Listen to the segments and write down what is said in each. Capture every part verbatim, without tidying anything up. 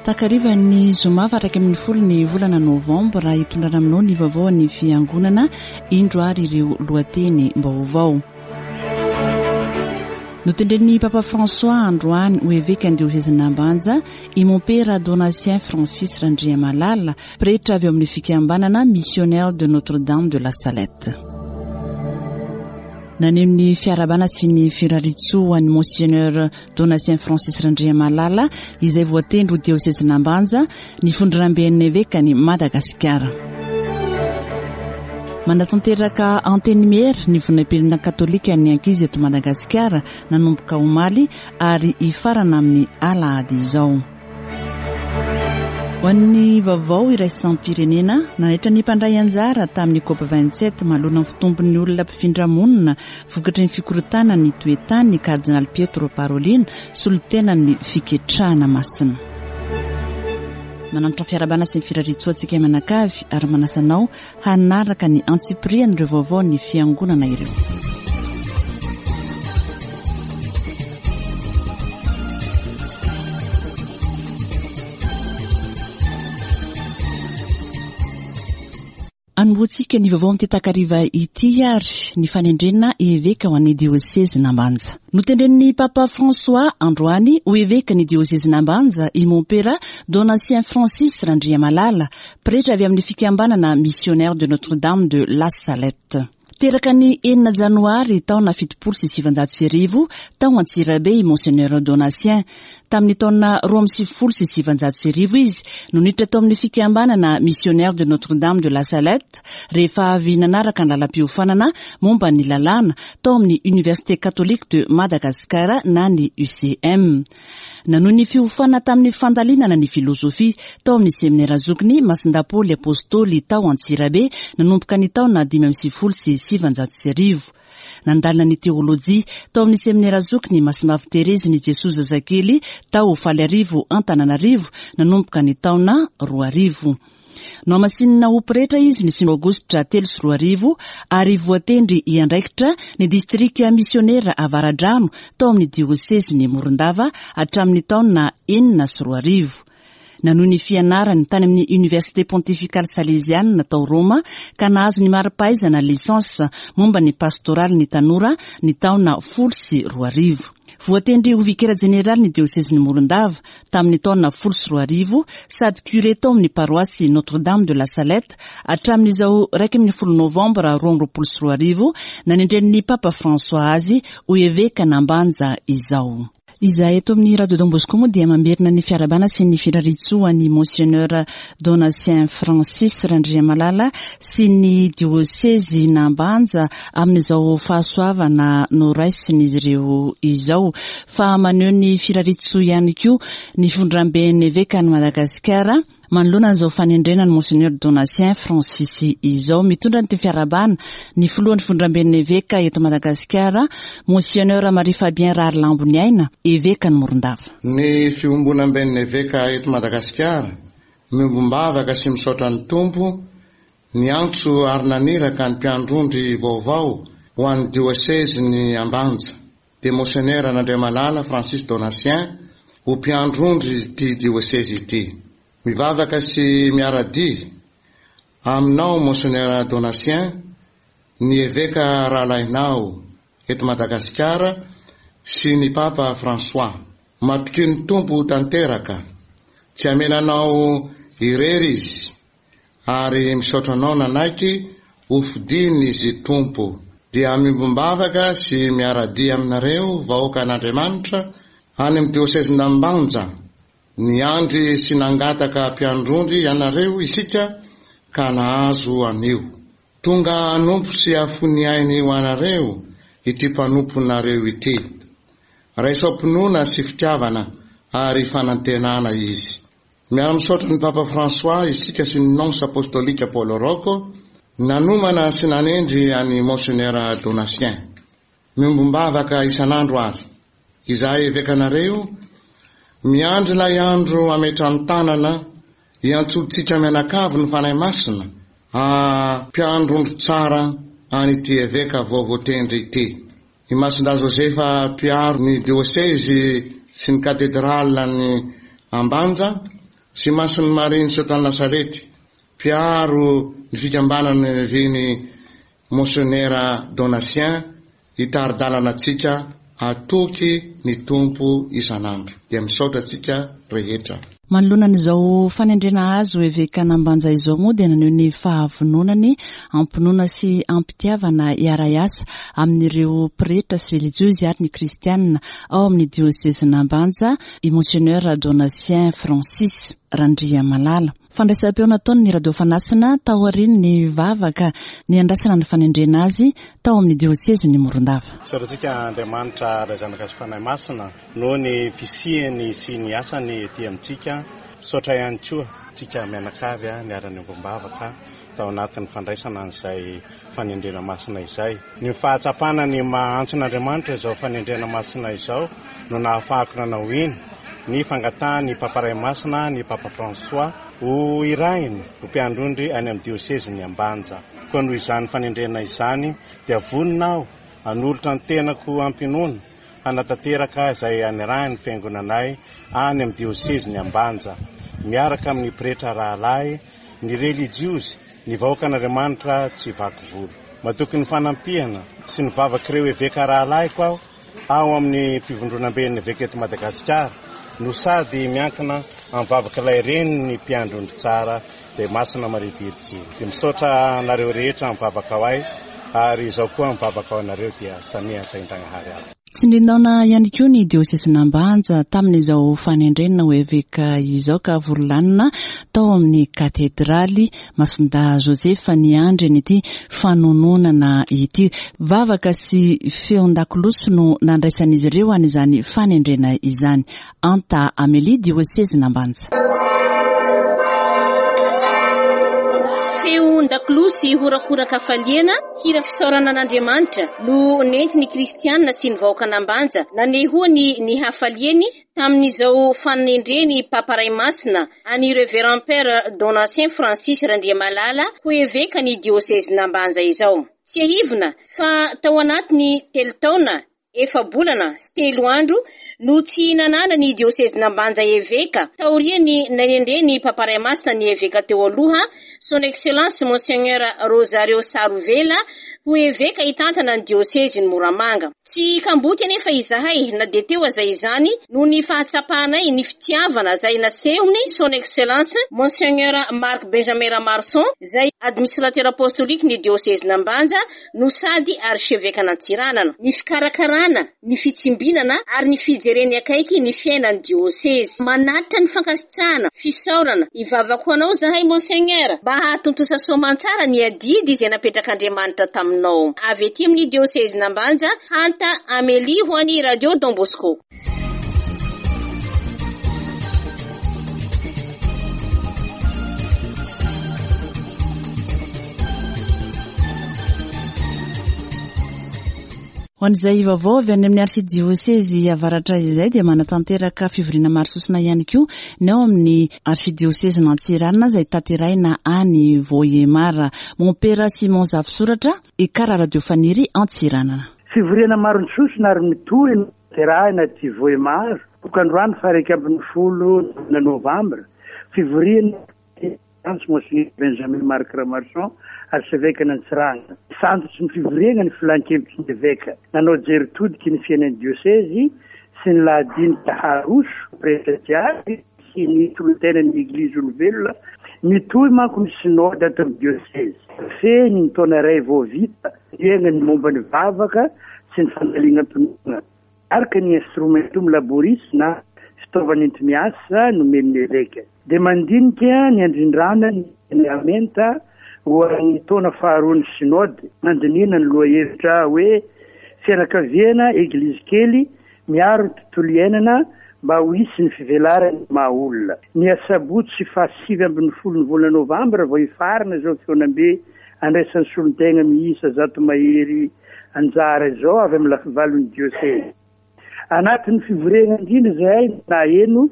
Takarivan'ny zoma faha-iraika ambin'ny folo ny volana novambra, hitondrana aminao ny vaovao ny fiangonana. Indro ary ireo lohateny vaovao. Notendren'ny Papa François androany ho eveka ny diosezin'Ambanja i Mompera Donatien Francis Randriamalala, pretra avy eo amin'ny fikambanana Missionnaire de Notre-Dame de la Salette. Naneho ny fiarahabana sy ny firariantsoa an'ny Monseigneur Donatien Francis Randriamalala izay voatendry ho diosezin'Ambanja ny fondronamben'ny evekan'i Madagasikara. Manatanteraka antenimiera ny vondrom-pirenena katolika ny ankizy eto Madagasikara nanomboka omaly ary hifarana amin'ny alahady izao. Ho an'ny vaovao iraisam-pirenena, nanaitra ny mpandray anjara tamin'ny COP vingt-sept manoloana ny fitombon'ny olona mpifindra-monina vokatry ny fikorontana ny toetany ny kardinaly Pietro Parolin, solontenan'ny fiketrahana masina. Manolotra fiarahabana sy ny firariantsoa antsika mianakavy ary manasa anao hanaraka ny antsipirian'ireo vaovao ny fiangonana ireo. Anombohantsika ny vaovao amin'ity takariva ity ary ny fanendrena eveka ho an'ny diosezin'Ambanja. Notendren'ny Papa François androany ho eveka ny diosezin'Ambanja i Mompera Donatien Francis Randriamalala, pretra avy amin'ny fikambanana Missionnaire de Notre-Dame de la Salette. Teraka ny enina janoary taona fitopolo sy sivanjato sy arivo tao Antsirabe i Monseigneur Donatien. Tamin'ny taona roa amby sivifolo sy sivanjato sy arivo izy no niditra tao amin'ny fikambanana Missionnaire de Notre-Dame de la Salette rehefa avy nanaraka ny lalam-piofanana momba ny lalàna tao amin'ny Université catholique de Madagascar na ny U C M. Nanohy ny fiofana tamin'ny fandalinana ny filozofia tao amin'ny seminera zokiny Masindahy Apôstôly tao Antsirabe nanomboka ny taona dimy amby sivifolo sy sivanjato sy arivo. Nandalina ny teolojia tao amin'ny seminera zokiny Masimbavy Terezy ny Jesoa Zazakely tao Faliarivo Antananarivo nanomboka ny taona roa arivo. Nohamasinina ho pretra izy ny sivy aogositra telo sy roa arivo ary voatendry hiandraikitra ny distrika misionera Avaradrano tao amin'ny diosezin'i Morondava hatramin'ny taona enina sy roa arivo. Nanohy ny fianarany tany amin'ny Université Pontificale Salesiana tao Roma ka nahazo ny mari-pahaizana licence momba ny pastoraly ny tanora ny taona folo sy roa arivo. Voatendry ho vikera jeneraly ny diosezin'i Morondava tamin'ny taona folo sy roa arivo sady curé tao amin'ny paroasy Notre-Dame de la Salette hatramin'izao iraika ambin'ny folo novambra roa amby roapolo sy roa arivo nanendren'ny Papa François azy ho eveka n'Ambanja izao. Izahay eto amin'ny Radio Don Bosco moa dia mamerina ny fiarahabana sy ny firariantsoa an'i Monseigneur Donatien Francis Randriamalala sy ny diosezin'Ambanja amin'izao fahasoavana noraisin'izy ireo izao. Fa maneho ny firariantsoa ihany koa ny fondramben'ny evekan'i Madagasikara manoloana an'izao fanendrena ny Monseigneur Donatien Francis izao. Mitondra ny fiarahabana ny filohan'ny fondramben'ny eveka eto Madagasikara, Monseigneur Marie Fabien Raharlamboniaina, evekan'i Morondava. Ny fiombonamben'ny eveka eto Madagasikara miombom-bavaka sy misaotra ny Tompo niantso ary naniraka ny mpiandrondry vaovao ho an'ny diosezin'i Ambanja, dia Monseigneur Randriamalala Francis Donatien ho mpiandrondry ity diosezy ity. Mivavaka sy miara-dia aminao Monseigneur Donatien ny eveka rahalahinao eto Madagasikara sy ny Papa François. Matoky ny Tompo tanteraka, tsy hamelanao irery izy ary misaotra anao nanaiky ho fidiny izy Tompo. Dia miombom-bavaka sy miara-dia aminareo vahoaka an'Andriamanitra any amin'ny diosezin'Ambanja. Niandry sy nangataka mpiandrondry ianareo isika ka nahazo anio. Tonga hanompo sy hahafoy ny ainy ho anareo ity mpanomponareo ity. Raiso-pinoana sy fitiavana ary fanantenana izy. Miara-misaotra ny Papa François isika sy ny nonce apostolika Paul Rocco nanomana sy nanendry an'i Monseigneur Donatien. Miombom-bavaka isan'andro ary izahay evekanareo miandry ilay andro ametrany-tanana hiantsoantsika mianakavy ny Fanahy Masina hampiandrondro tsara an'ity eveka vaovao tendry ity. I Masindahy Josefa mpiaro ny diosezy sy ny katedralan'ny Ambanja sy Masin'i Maria niseho tany Lasalety, mpiaro ny fikambanana niavian'ny Monseigneur Donatien, hitari-dalana antsika hatoky ny Tompo isan'andro. Dia misaotra antsika rehetra. Manoloana an'izao fanendrena azy ho evekan'Ambanja izao moa dia naneho ny fahavononany ampinoana sy ampitiavana hiara-hiasa amin'ireo pretra sy relijiozy ary ny kristianina ao amin'ny diosezin'Ambanja i Monseigneur Donatien Francis Randriamalala. Fandraisam-peo nataon'ny Radio Fanasina taorian'ny vavaka niandrasana ny fanendrena azy tao amin'ny diosezin'i Morondava. Isaorantsika Andriamanitra Ray Zanaka sy Fanahy Masina noho ny fisiany sy ny asany ety amintsika. Misaotra ihany koa tsika mianakavy niara-niombom-bavaka tao anatin'ny fandraisana an'izay fanendrena masina izay. Ny fahatsapana ny maha antson'Andriamanitra izao fanendrena masina izao no nahafahako nanao iny ny fangatahan'ny Papa Ray Masina, ny Papa François, ho irahiny ho mpiandrondry any amin'ny diosezin'i Ambanja. Koa noho izany fanendrena izany dia vonona aho hanolotra ny tenako ampinoana hanatanteraka izay anirahan'ny fiangonanay any amin'ny diosezin'i Ambanja, miaraka amin'ny pretra rahalahy, ny relijiozy, ny vahoakan'Andriamanitra tsy vaky volo. Matoky ny fanampiana sy ny vavak'ireo eveka rahalahiko aho ao amin'ny fivondronamben'ny eveka eto Madagasikara, no sady miankina amin'ny vavak'ilay reniny mpiandrondry tsara dia Masina Maria Virjiny. Dia misaotra anareo rehetra amin'ny vavaka ho ahy, ary izao koa amin'ny vavaka ho anareo dia samia tahin-dragnahary aby. Tsy ninaona ihany koa ny diosezin'Ambanja tamin'izao fanendrena ho eveka izao ka vory tao amin'ny katedraly Masindahy Joseph niandry an'ity fanononana ity. Vavaka sy feon-dakolosy no nandraisan'izy ireo an'izany fanendrena izany. Anta Amélie, diosezin'Ambanja. Feon-dakolosy horakoraka hafaliana, hira fisaorana an'Andriamanitra no nentin'ny kristianina sy ny vahoakan'Ambanja nanehoany ny hafaliany tamin'izao fanendreny Papa Ray Masina an'i Révérend Père Donatien Francis Randriamalala ho eveka ny diosezin'Ambanja izao. Tsiahivina fa tao anatin'ny telo taona, efa-bolana sy telo andro no tsy nanana ny diosezin'Ambanja eveka taorian'ny nanendreny Papa Ray Masina ny eveka teo aloha, Son Excellence Monseigneur Rosario Sarovela ho eveka hitantana ny diosezin'i Moramanga. Tsy kamboty anefa izahay na dia teo aza izany noho ny fahatsapanay ny fitiavana izay nasehony Son Excellence Monseigneur Marc Benjamin Ramarson izay administrateur apostolique ny diosezin'Ambanja no sady archevêque-n'Antsiranana. Ny fikarakarana, ny fitsimbinana ary ny fijereny akaiky ny fiainan'ny diosezy. Manatitra ny fankasitrahana, fisaorana, hivavaka ho anao zahay Monseigneur mba hahatontosa soamantsara ny adidy izay napetrak'Andriamanitra taminao. Avy ety amin'ny diosezin'Ambanja, Hanta Amélie ho an'ny Radio Don Bosco. Ho an'izay vaovao avy any amin'ny arsidiosezy avaratra izay dia manatanteraka fivoriana maro sosona ihany koa ny ao amin'ny arsidiosezin'Antsiranana izay tanterahina any Vohemar. Mompera Simon Zafisoratra, Ekara Radio Faniry Antsiranana. Fivoriana maro sosona ary mitohy no tanterahina aty Vohemar, tokandroany faha iraika ambin'ny folo novambra. Fivoriana Monseigneur Benjamin Marc Ramarson, archevêque n'Antsiranana. Santatry ny fivoriana ny filan-kevitry ny eveka. Nanao jery todiky ny fiainan'ny diosezy sy ny lahadinika haroso pretra jiaby sy ny tolotenan'ny Eglizy Olombelona. Mitohy manko ny synode ato amin'ny diosezy. Feno ny taona iray vao vita, iainana ny momba ny vavaka sy ny fandalinam-pinoana. Araka ny instrumentum laboris na fitaovana enti-miasa nomen'ny eveka. Dia mandinika ny andrindrana ny amenta ho an'ny taona faharoan'ny synode, nandinihana ny lohahevitra hoe fianakaviana eglizy kely miaro ny tontolo iainana mba ho hisy ny fivelarany maha olona. Ny asabotsy fahasivy ambin'ny folo ny volana novambra vao hifarana izao fihaonambe andraisan'ny solontena miisa zato mahery anjara izao avy amin'ny lafivalon'ny diosezy. Anatin'ny fivoriana indrindra izahay naheno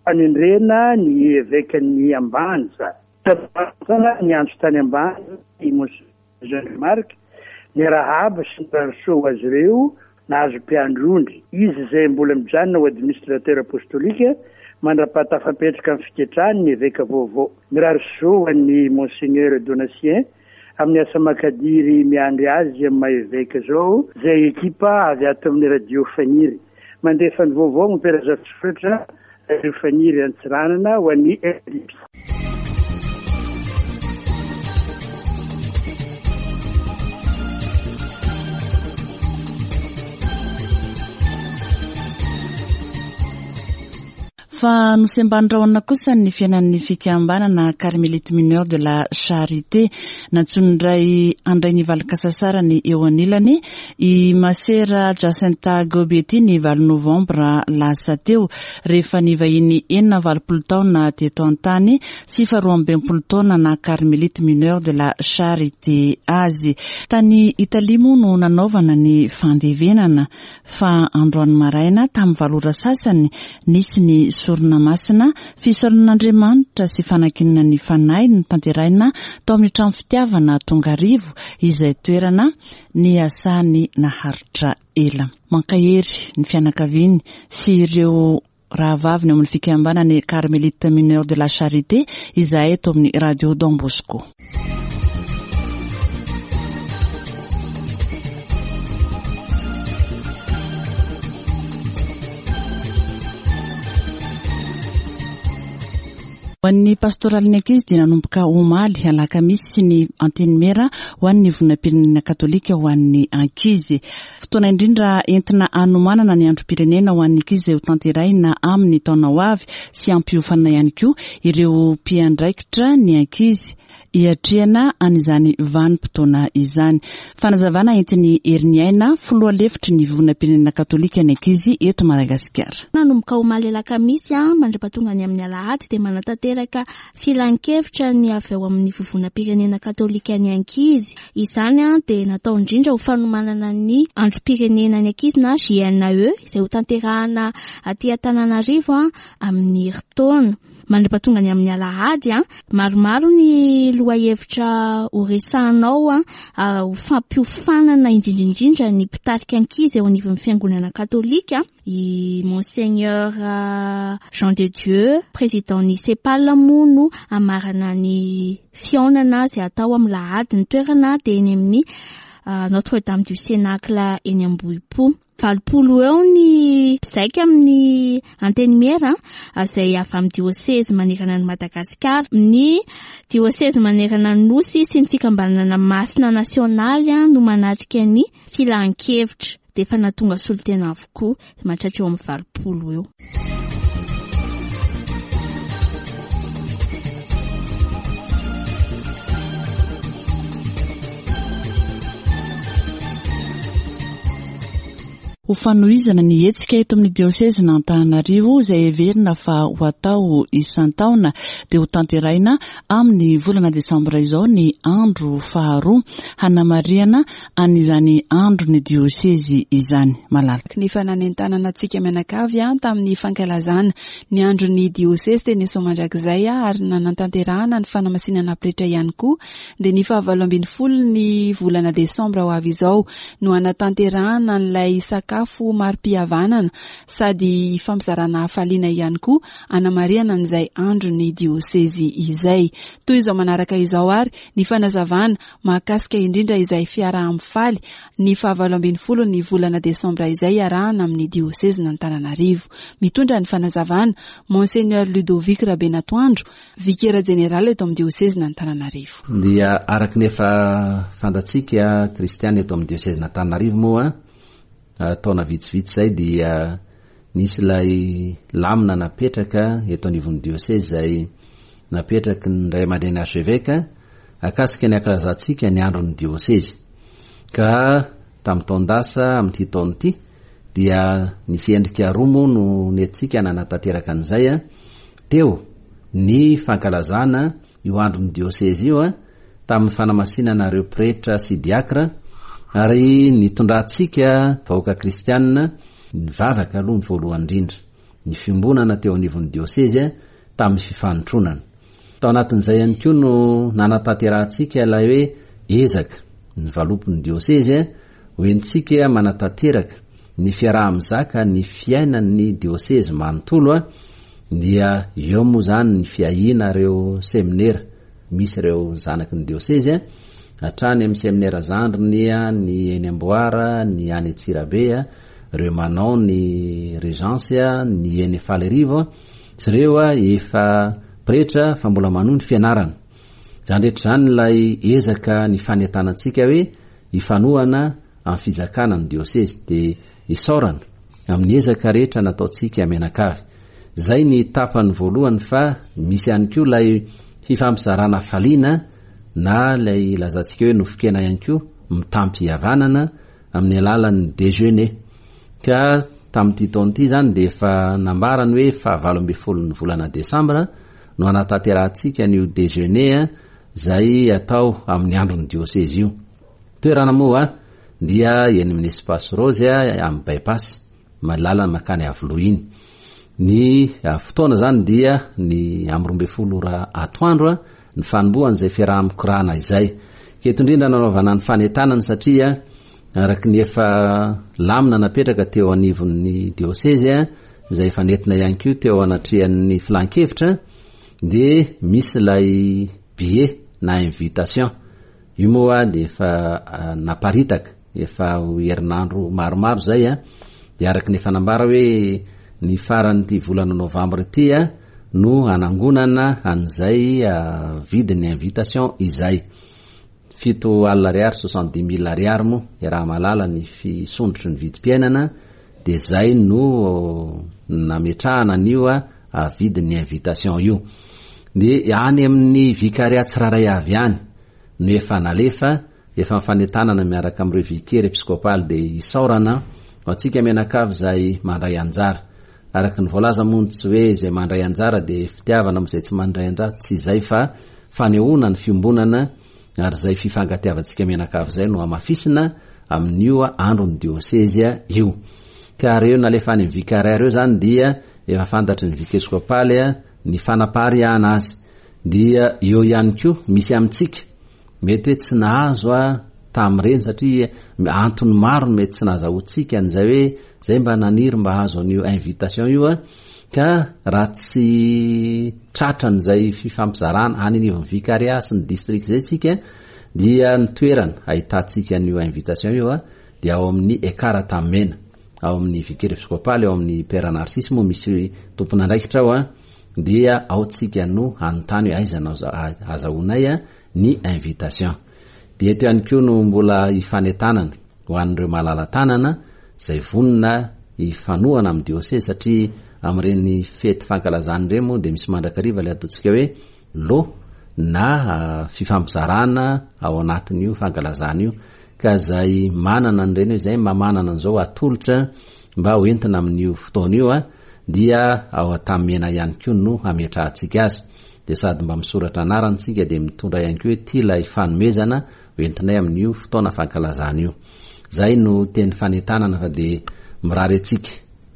fanendrena ny evekan'ny Ambanja. Ny antso tany Ambanja i Monseigneur Jean Marc niarahaba sy nirary soa ho azy ireo nahazo mpiandrondry. Izy izay mbola mijanona ho administrateur apostolika mandra-pahatafapetraka amin'ny fiketrahany ny eveka vaovao. Mirary soa ho an'ny Monseigneur Donatien amin'ny asa makadiry miandry azy amin'ny maha eveka izao, izay ekipa avy ato amin'ny Radio Faniry. Mandefa ny vaovao Mompera Zafisoratra, Radio Faniry Antsiranana ho an'ny R D P. Fa nosembanin-drahona kosa ny fiainan'ny fikambanana Carmélite Mineure de la Charité. Nantsoin'ny handray ny valin-kasasarany eo anilany i Masera Jacinta Gobetti ny valo novambra lasa teo, rehefa nivahiny enina valopolo taona teto an-tany sy faharoa amby enimpolo taona na Carmélite Mineure de la Charité azy. Tany Italia moa no nanaovana ny fandevenana, fa androany maraina tamin'ny valo ora sasany nisy ny sorona masina, fisaoran'Andriamanitra sy fanankinana ny fanahy notanterahina tao amin'ny trano fitiavana Tongarivo, izay toerana niasany naharitra ela. Mankahery ny fianakaviany sy ireo rahavaviny ao amin'ny fikambanana Carmélite Mineure de la Charité izahay eto amin'ny Radio Don Bosco. Ho an'ny pastoralin'ny ankizy dia nanomboka omaly alakamisy sy ny antenimiera ho an'ny vonam-pirenena katolika ho an'ny ankizy. Fotoana indrindra entina hanomanana ny androm-pirenena ho an'ny ankizy izay ho tanterahina amin'ny taona ho avy sy hampiofanana ihany koa ireo mpiandraikitra ny ankizy hiatrehana an'izany vanim-potoana izany. Fanazavana entin'ny Heriniaina, filoha lefitry ny vonam-pirenena katolika ny ankizy eto Madagasikara. Nanomboka omaly alakamisy a mandra-pahatonga ny amin'ny alahady dia manatanteraka filan-kevitra ny avy ao amin'ny vovonam-pirenena katolika ny ankizy. Izany a dia natao indrindra ho fanomanana ny androm-pirenena ny ankizy na J N A E izay ho tanterahana aty Antananarivo a amin'ny herintaona. Mandra-pahatonga ny amin'ny alahady a maromaro ny lohahevitra ho resahanao a ho fampiofanana indrindra indrindra ny mpitarika ankizy eo anivon'ny fiangonana katolika. I Monseigneur Jean de Dieu, président ny CEPAL moa no hamarana ny fihaonana izay atao amin'ny lahady. Ny toerana dia eny amin'ny Notre Dame du Cénacle eny Ambohipo. Valopolo eo ny mpizaika amin'ny antenimiera izay avy amin'ny diosezy manerana an'i Madagasikara, ny diosezy manerana ny Nosy sy ny fikambanana masina nasionaly no manatrika ny filan-kevitra. Dia efa nahatonga solontena avokoa, mahatratra eo amin'ny valopolo eo. Ho fanohizana ny hetsika eto amin'ny diosezy Antananarivo izay heverina fa ho atao isan-taona dia ho tanterahina amin'ny volana desambra izao ny andro faharoa hanamarihana an'izany andro ny diosezy izany. Malala. Ny fananentanana antsika mianakavy a tamin'ny fankalazana ny andron'ny diosezy teny Soamandrakizay ary nanatanterahana ny fanamasinana pretra ihany koa dia ny fahavalo ambin'ny folo ny volana desambra ho avy izao no hanatanterahana an'ilay sakafo mari-pihavanana sady fampizarana hafaliana ihany koa anamarihana an'izay andron'ny diosezy izay. Toy izao manaraka izao ary ny fanazavana mahakasika indrindra izay fiaraha-mifaly ny fahavalo ambin'ny folo ny volana desambra izay iarahana amin'ny diosezy Antananarivo. Mitondra ny fanazavana Monseigneur Ludovic Rabenatoandro, vikera jeneraly eto amin'ny diosezy Antananarivo. Dia araka ny efa fantatsika kristiana eto amin'ny diosezy Antananarivo moa, taona vitsivitsy izay dia nisy ilay lamina napetraka eto anivon'ny diosezy izay napetraky ny ray aman-dreny archevêque akasika ny ankalazantsika ny andron'ny diosezy. Ka tamin'ny taon-dasa amin'ity taona ity dia nisy endrika roa moa no nentintsika nanatanteraka an'izay a. Teo ny fankalazana io andron'ny diosezy io a tamin'ny fanamasinana ireo pretra sy diakra ary nitondrantsika vahoaka kristianina nivavaka aloha ny voalohany indrindra ny fiombonana teo anivon'ny diosezy tamin'ny fifanotronana. Tao anatin'izay ihany koa no nanatanterahantsika ilay hoe ezaka ny valopin'ny diosezy ho entintsika manatanteraka ny fiaraha-mizaka ny fiainan'ny diosezy manontolo a Dia eo moa izany ny fiahiana ireo seminera misy ireo zanaky ny diosezy, hatrany amin'ny seminera zandriny, ny eny Amboara, ny any Antsirabe, ireo manao ny regence, ny eny Falerivo, sy ireo efa pretra fa mbola manohy ny fianarana. Izany rehetra izany ilay ezaka ny fanentanantsika hoe hifanohana amin'ny fizakana ny diosezy, dia isaorana amin'ny ezaka rehetra nataontsika mianakavy. Izay ny tapany voalohany, fa misy ihany koa ilay fifampizarana hafaliana na ilay ilazantsika hoe nofon-kena ihany koa mitam-pihavanana amin'ny alalan'ny déjeuner. Ka tamin'ity taona ity izany dia efa nambarany hoe fahavalo ambin'ny folon'ny volana desambra no hanatanterahantsika an'io déjeuner izay atao amin'ny andron'ny diosezy io. Toerana moa dia eny amin'ny Espace Rose amin'ny bypass, lalana mankany Avoloha iny. Ny fotoana izany dia ny amin'ny roa ambin'ny folo ora atoandro ny fanombohan'izay fiaraha-mikorana izay. Keto indrindra nanaovana ny fanentanana satria araka ny efa lamina napetraka teo anivon'ny diosezy izay efa nentina ihany koa teo anatrehan'ny filan-kevitra, dia misy ilay billet na invitation. Io moa dia efa naparitaka efa ho herinandro maromaro izay, dia araka ny efa nambara hoe ny faran'ity volana novambra ity no hanangonana an'izay vidin'ny invitation izay. Fito alina ariary, soixante-dix mille ariary moa iaraha mahalala ny fisondrotry ny vidim-piainana, dia izay no nametrahana an'io vidin'ny invitation io. Dia any amin'ny vikaria tsirairay avy any no efa nalefa, efa mifanentanana miaraka amin'ireo vicaire episkopaly, dia isaorana ho antsika mianakavy izay mandray anjara. Araka ny voalaza moa tsy hoe izay mandray anjara dia fitiavana amin'izay tsy mandray anjara, tsy izay fa fanehoana ny fiombonana, ary izay fifankatiavantsika mianakavy izay no hamafisina amin'io andron'ny diosezy io. Ka ireo nalefa any amin'ny vikaria ireo izany dia efa fantatry ny vicaire episkopaly ny fanapariahana azy. Dia eo ihany koa misy amintsika mety hoe tsy nahazo tamin'ireny satria antony maro no mety tsy nahazahoantsika an'izay hoe zay mba naniry mba hahazo an'io invitation io, ka raha tsy tratran'izay fifampizarana any anivon'ny vikaria sy ny district izay tsika, dia ny toerana ahitantsika an'io invitation io dia ao amin'ny Ekara Tamena, ao amin'ny vicaire episkopaly, ao amin'ny Père Narcisse moa misy tompon'andraikitra ao, dia ao tsika no hanontany hoe aiza no azahoanay ny invitation. Dia eto ihany koa no mbola hifanentanana ho an'ireo malala-tanana izay vonona hifanohana amin'ny diosezy, satria amin'ireny fety fankalazana ireny moa dia misy mandrakariva ilay ataontsika hoe lo na fifampizarana ao anatin'io fankalazana io, ka izay manana an'ireny hoe izay mamanana an'izao atolotra mba ho entina amin'io fotoana io, dia ao Antanimena ihany koa no hametrahantsika azy. Dia sady mba misoratra anarana isika dia mitondra ihany koa hoe ity ilay fanomezana ho entinay amin'io fotoana fankalazana io. Izay no teny fanentanana fa dia mirary antsika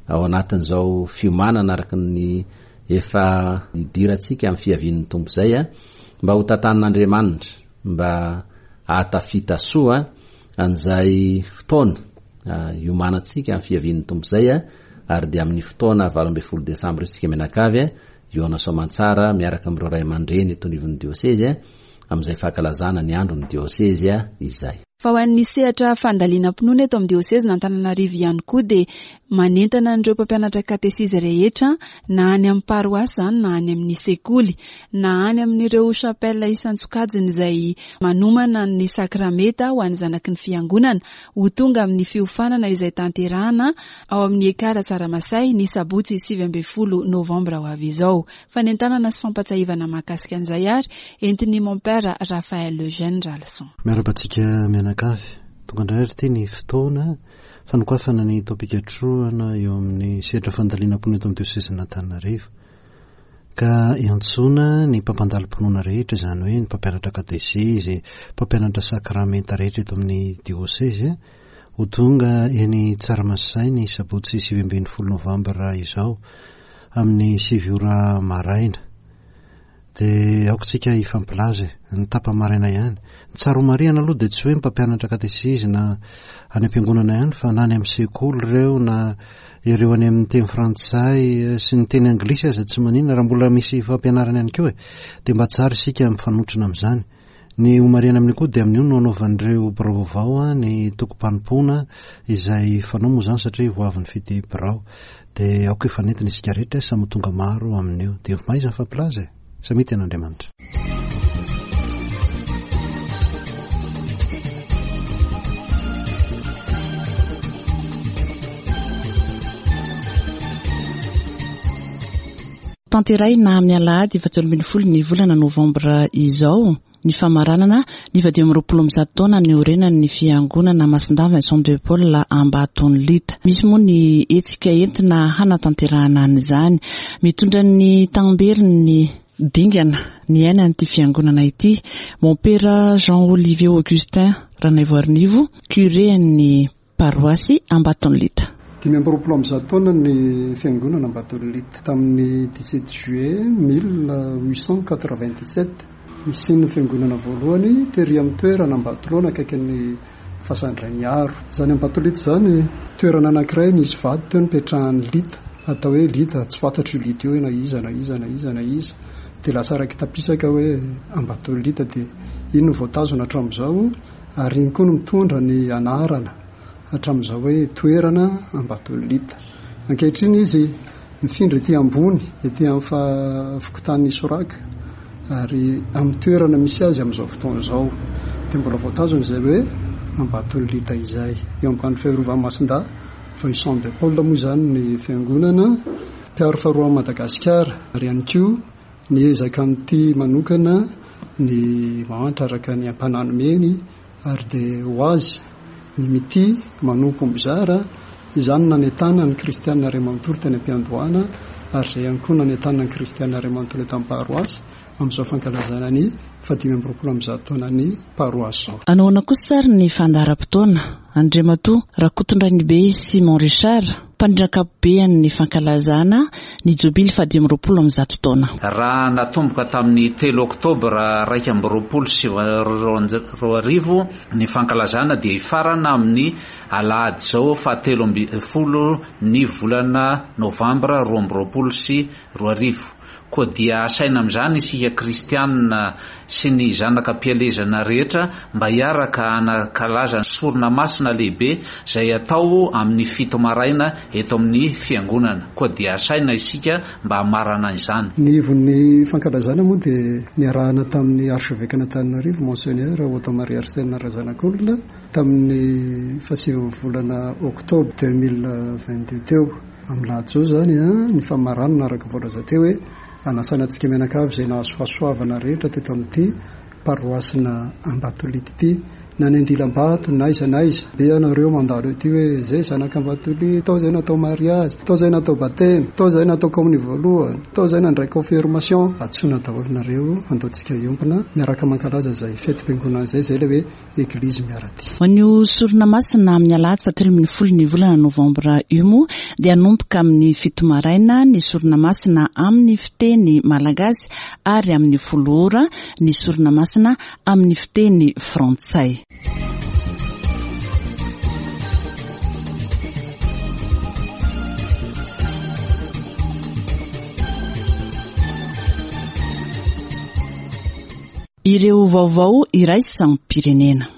ao anatin'izao fiomanana araka ny efa idirantsika amin'ny fiavian'ny Tompo izay, mba ho tantanin'Andriamanitra, mba hahatafita soa an'izay fotoana iomanantsika amin'ny fiavian'ny Tompo izay, ary dia amin'ny fotoana valo ambin'ny folo desambra isika mianakavy Iona Soamantsara miaraka amin'ireo ray aman-dreny eto anivon'ny diosezy amin'izay fankalazana ny andron'ny diosezy izay. Fa ho an'ny sehatra fandalinam-pinoana eto amin'ny diosezy n'Antananarivo ihany koa dia manentana an'ireo mpampianatra katesizy rehetra na any amin'ny paroasy izany na any amin'ny sekoly na any amin'ireo chapelle isan-tsokajiny izay manomana ny sakramenta ho an'ny zanaky ny fiangonana ho tonga amin'ny fiofanana izay tanterahana ao amin'ny Ekara Tsaramasay ny sabotsy sivy ambin'ny folo novambra ho avy izao. Fanentanana sy fampatsiahivana mahakasika an'izay ary entin'ny mon père Raphaël Eugène Ralson. Miarahaba antsika mianakavy. Tonga indray ary ity ny fotoana fanokafana ny taom-pikatrohana eo amin'ny sehatra fandalinam-pinoana eto amin'ny diosezin'Antananarivo. Ka iantsoana ny mpampandalo-pinoana rehetra, izany hoe ny mpampianatra katesizy, mpampianatra sakramenta rehetra eto amin'ny diosezy, ho tonga eny Tsaramasay ny sabotsy sivy ambin'ny folo novambra izao amin'ny sivy ora maraina. Dia aoka isika hifampilaza e, ny tapa-maraina ihany. Ny tsara ho marihana aloha dia tsy hoe ny mpampianatra katesizy na any am-piangonana ihany fa na any amin'ny sekoly ireo na ireo any amin'ny teny frantsay sy ny teny anglisy aza tsy maninona raha mbola misy fampianarana ihany koa e. Dia mba tsara isika mifanotrona amin'izany. Ny ho marihana amin'io koa dia amin'io no anaovan'ireo birao vaovao ny tokom-panompoana izay fanao moa izany satria ho avy nifidy birao. Dia aoka hifanentana isika rehetra samy ho tonga maro amin'io. Dia mahaiza mifampilaza e. Samia tian'Andriamanitra. Tanterahina amin'ny alahady fahatelo ambin'ny folo ny volana novambra izao ny famaranana ny fahadimy amby roapolo amby zato taona niorenan'ny fiangonana Masindahy Vincent de Paul Ambatonilita. Misy moa ny hetsika entina hanatanterahana an'izany. Mitondra ny tamberiny dingana ny ainan'ity fiangonana ity Mompera Jean Olivier Augustin Ranaivoarinivo, curé ny paroasy Ambatonilita. Dimy amby roapolo amby zato taona ny fiangonana Ambatonilita tamin'ny dix-sept juillet mille huit cent quatre-vingt-dix-sept. Nisian'ny fiangonana voalohany tery amin'ny toerana Ambatolaona akaikin'ny Fasan-dRainiaro. Izany Ambatolita izany toerana anankiray nisy vady teo nipetrahan'ny Lita, atao hoe Lita, tsy fantatro io Lita io na iza na iza na iza na iza. Dia lasa raiki-tapisaka hoe Ambatolita dia iny no voatazona hatramin'izao ary iny koa no mitondra ny anarana hatramin'izao hoe toerana Ambatolita. Ankehitriny izy mifindra ety ambony, ety amin'ny fa-, fokontany Isoraka ary amin'ny toerana misy azy amin'izao fotoana izao. Dia mbola voatazona izay hoe Ambatolita izay. Eo ambany fiarovan'ny Masindahy Vincent de Paul moa izany ny fiangonana mpiaro faharoa an'i Madagasikara ary ihany koa ny ezaka amin'ity manokana ny mahantra araka ny ampananomeny ary dia ho azy ny mitia manompo mizara. Izany nanentana ny kristiana ray manontolo teny am-piandohana ary izay ihany koa nanentana ny kristiana ray manontolo eto amin'ny paroasy amin'izao fankalazana ny fahadimy amby roapolo amby zato taona ny paroasy izao. Anahoana kosa ary ny fandaharam-potoana? Andriamatoa Rakotondrainibe Simon Richard, mpandrindra ankapobean'ny fankalazana ny jobily fahadimy amby roapolo amby zato taona. Raha natomboka tamin'ny telo oktobra raika amby roapolo sy roa arivo ny fankalazana dia hifarana amin'ny alahady izao fahatelo amby folo ny volana novambra roa amby roapolo sy roa arivo. Koa dia asaina amin'izany isika kristianina sy ny zanaka am-pielezana rehetra mba hiaraka hanakalaza sorona masina lehibe izay atao amin'ny fito maraina eto amin'ny fiangonana. Koa dia asaina isika mba hamarana izany. Ny ivon'ny fankalazana moa dia niarahana tamin'ny archevêque-n'Antananarivo Monseigneur Otto Marie Arsène Razanakolona tamin'ny fahasivy volana octobre deux mille vingt-deux teo. Amin'ny lahajao izany a, ny famaranana araka voalaza teo hoe anasana antsika mianakavy izay nahazo fahasoavana rehetra teto amin'ity paroasina Ambatolita ity, na ny Andilambato na aiza na aiza. Be ianareo mandalo ety hoe zay zanaka Ambatolita, tao zay natao mariazy, tao zay natao batemy, tao zay natao communion voalohany, tao zay nandray confirmation. Antsoina daholo nareo, andaontsika hiombona miaraka mankalaza izay fetim-piangonana izay, izay ilay hoe Eglizy miara-dia. Ho an'io sorona masina amin'ny alahady fahatelo ambin'ny folo ny volana novambra io moa dia hanomboka amin'ny fito maraina ny sorona masina amin'ny fiteny malagasy ary amin'ny folo ora ny sorona masina amin'ny fiteny frantsay. Ireo vaovao iraisam-pirenena.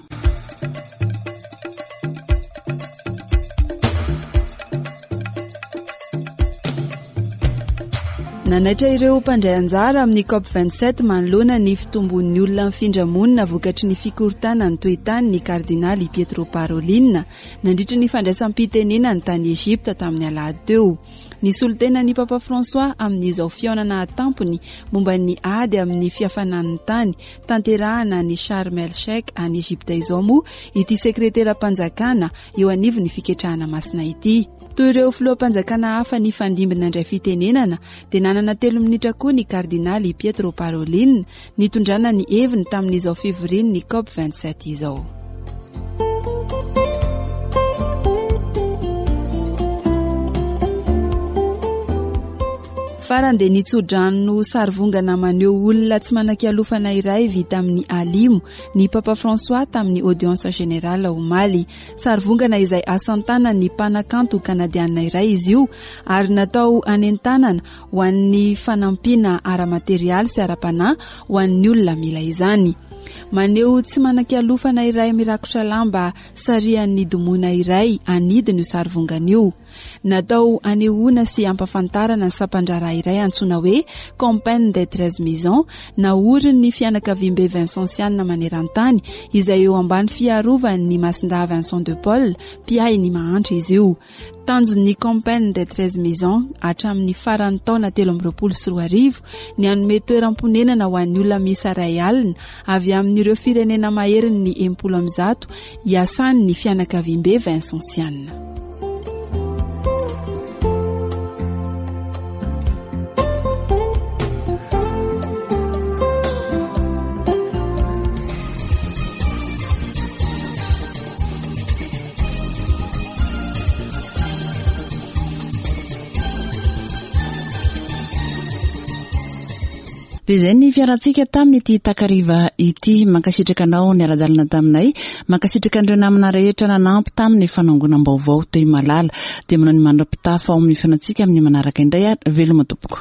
Nanaitra ireo mpandray anjara amin'ny COP vingt-sept manoloana ny fitombon'ny olona mifindra-monina vokatry ny fikorontanan'ny toetany ny kardinaly Pietro Parolin nandritra ny fandraisam-pitenenany tany Egypta tamin'ny alahady teo. Ny solotenan'ny Papa François amin'izao fihaonana tampony momba ny ady amin'ny fiafanan'ny tany tanterahana ny Sharm el Sheikh any Egypta izao moa ity sekreteram-panjakana eo anivon'ny fiketrahana masina ity. Toy ireo filoham-panjakana hafa nifandimby nandray fitenenana dia nanana telo minitra koa ny kardinaly Pietro Parolin nitondrana ny heviny tamin'izao fivorian'ny COP vingt-sept izao. Farany dia nitsodrano sarivongana maneho olona tsy manan-kialofana iray vita amin'ny alimo ny Papa François tamin'ny audience générale omaly. Sarivongana izay asantanan'ny mpanakanto kanadianina iray izy io ary natao hanentanana ho an'ny fanampiana ara-materialy sy ara-panahy ho an'ny olona mila izany. Maneho tsy manan-kialofana iray mirakotra lamba sarihan'ny domoina iray anidina io sarivongana io. Natao hanehoana sy hampafantarana ny sampan-draharaha iray antsoina hoe Campagne des treize maisons naorin'ny fianakaviambe Vincentiana maneran-tany izay eo ambany fiarovan'ny Masindahy Vincent de Paul mpiahy ny mahantra izy io. Tanjon'ny Campagne des treize maisons hatramin'ny faran'ny taona telo amby roapolo sy roa arivo ny hanome toeram-ponenana ho an'ny olona miisa iray alina avy amin'ireo firenena maherin'ny enimpolo amby zato hiasan'ny fianakaviambe Vincentiana. Dia izay ny fiarantsika tamin'ity takariva ity. Mankasitraka anao niara-dalana taminay, mankasitraka an'ireo namana rehetra nanampy tamin'ny fanangonam-baovao toy malala. Dia manao ny mandra-pitafa ao amin'ny fiainantsika amin'ny manaraka indray ary veloma tompoko.